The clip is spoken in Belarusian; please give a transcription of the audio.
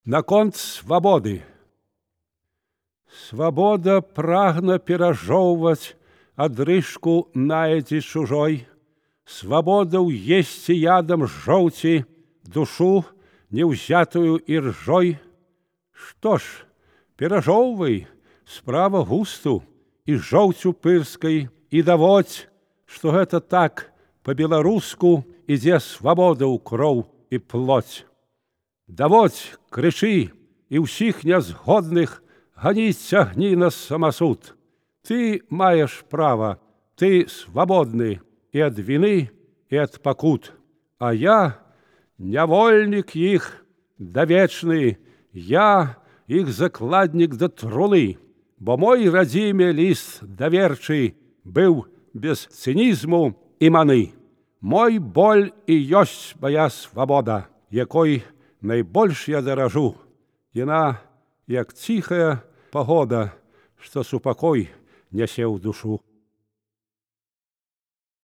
Наконт свабоды. Свабода прагна перажоўваць адрыжку наедзі чужой, свабода ўесці ядам жоўці душу неўзятую іржой. Што ж, перажоўвай, справа густу і жоўцю пырскай, і даводзь, што гэта так па-беларуску ідзе свабода ў кроў і плоть. Даводзь, крычы, і ўсіх нязгодных ганіць цягні на самасуд. Ты маеш права, ты свабодны і ад віны, і ад пакут. А я нявольнік іх давечны, я іх закладнік да труны, бо мой радзіме ліст даверчы быў без цынізму і маны. Мой боль і ёсць мая свабода, якой найбольш я даражу. Яна, як ціхая пагода, што супакой нясе ў душу.